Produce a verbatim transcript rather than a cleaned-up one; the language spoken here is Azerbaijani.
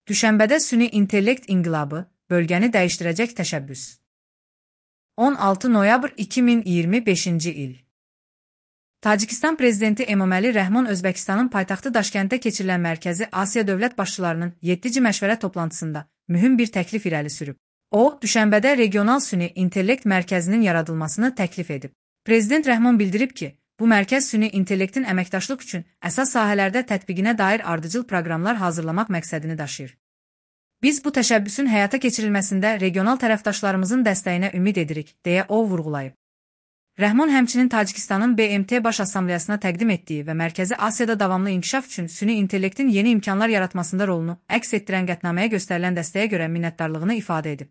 Düşənbədə süni intellekt inqilabı, bölgəni dəyişdirəcək təşəbbüs. on altı noyabr iki min iyirmi beşinci il. Tacikistan prezidenti Emomali Rəhmon Özbəkistanın paytaxtı Daşkənddə keçirilən Mərkəzi Asiya dövlət başçılarının yeddinci məşvərət toplantısında mühüm bir təklif irəli sürüb. O, düşənbədə regional süni intellekt mərkəzinin yaradılmasını təklif edib. Prezident Rəhmon bildirib ki, bu mərkəz süni intellektin əməkdaşlıq üçün əsas sahələrdə tətbiqinə dair ardıcıl proqramlar hazırlamaq məqsədini daşıyır. Biz bu təşəbbüsün həyata keçirilməsində regional tərəfdaşlarımızın dəstəyinə ümid edirik, deyə o vurğulayıb. Rəhmon həmçinin Tacikistanın B M T Baş Assambleyasına təqdim etdiyi və Mərkəzi Asiyada davamlı inkişaf üçün süni intellektin yeni imkanlar yaratmasında rolunu əks etdirən qətnaməyə göstərilən dəstəyə görə minnətdarlığını ifadə edib.